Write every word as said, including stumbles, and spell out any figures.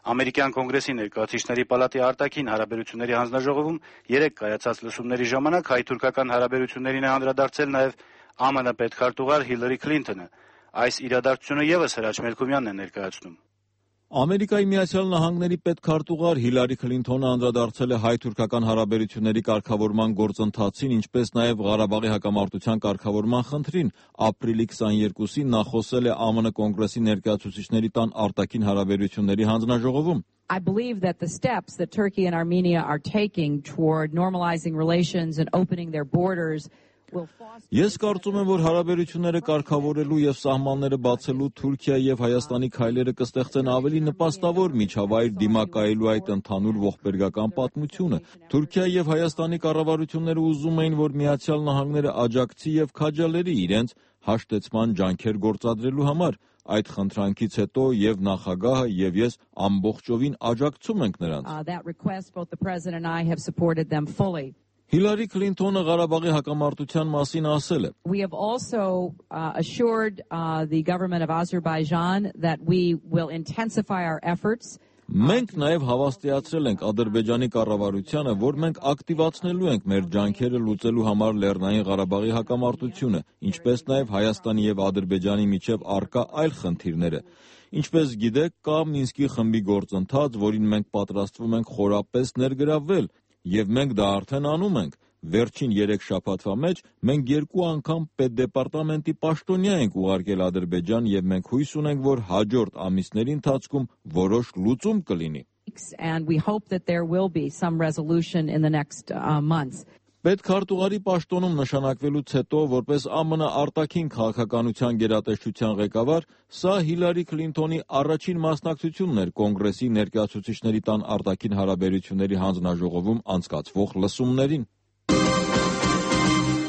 Ամերիկյան կոնգրեսի ներկայացուցիչների պալատի արտաքին հարաբերությունների հանձնաժողովում երեկ կայացած լսումների ժամանակ հայ-թուրքական հարաբերություններին է անդրադարձել նաև ԱՄՆ պետքարտուղար Հիլարի Քլինթոնը։ Այս իրադարձությունը ևս Հրաչ Մելքումյանն է ներկայացնում։ Ամերիկայի Միացյալ Նահանգների պետքարտուղար Հիլարի Քլինթոնը անդրադարձել է հայ-թուրքական հարաբերությունների կարգավորման գործընթացին, ինչպես նաև Ղարաբաղի հակամարտության կարգավորման խնդրին։ Ապրիլի քսաներկուսին նա խոսել է ԱՄՆ կոնգրեսի ներկայացուցիչների տան արտաքին հարաբերությունների հանձնաժողովում։ I believe that the steps that Turkey and Armenia are taking toward normalizing relations and opening their borders Ես կարծում եմ, որ հարաբերությունները կարգավորելու եւ սահմանները բացելու Թուրքիայի եւ Հայաստանի քայլերը կստեղծեն ավելի նպաստավոր միջավայր դիմակայելու այդ ընդհանուր ողբերգական պատմությունը։ Թուրքիայի եւ Հայաստանի կառավարությունները ուզում էին, որ Միացյալ Նահանգները աջակցի եւ քաջալերի իրենց հաշտեցման ջանքեր գործադրելու համար։ Այդ խնդրանքից հետո եւ նախագահը եւ ես ամբողջովին աջակցում ենք նրանց։ Հիլարի Քլինթոնը Ղարաբաղի հակամարտության մասին ասել է. We have also uh, assured uh, the government of Azerbaijan that we will intensify our efforts. Մենք նաև հավաստիացրել ենք Ադրբեջանի կառավարությանը, որ մենք ակտիվացնելու ենք մեր ջանքերը լուծելու համար Լեռնային Ղարաբաղի հակամարտությունը, ինչպես նաև Հայաստանի եւ Ադրբեջանի միջև առկա այլ խնդիրները։ Ինչպես գիտեք, կա Մինսկի խմբի գործընթաց, որին մենք պատրաստվում ենք խորապես ներգրավվել։ Եվ մենք դա արդեն անում ենք։ Վերջին երեք շաբաթվա մեջ մենք երկու անգամ պետդեպարտամենտի պաշտոնյա ենք ուղարկել Ադրբեջան եւ մենք հույս ունենք, որ հաջորդ ամիսների ընթացքում որոշ լուծում կլինի։ And we hope that there will be some resolution in the next uh, months. Պետքարտուղարի պաշտոնում նշանակվելուց հետո, որպես ԱՄՆ արտաքին քաղաքականության գերատեսչության ղեկավար, սա Հիլարի Քլինթոնի առաջին մասնակցությունն էր կոնգրեսի ներկայացուցիչների տան արտաքին հարաբերությունների հանձնաժողովում անցկացվող լսումներին։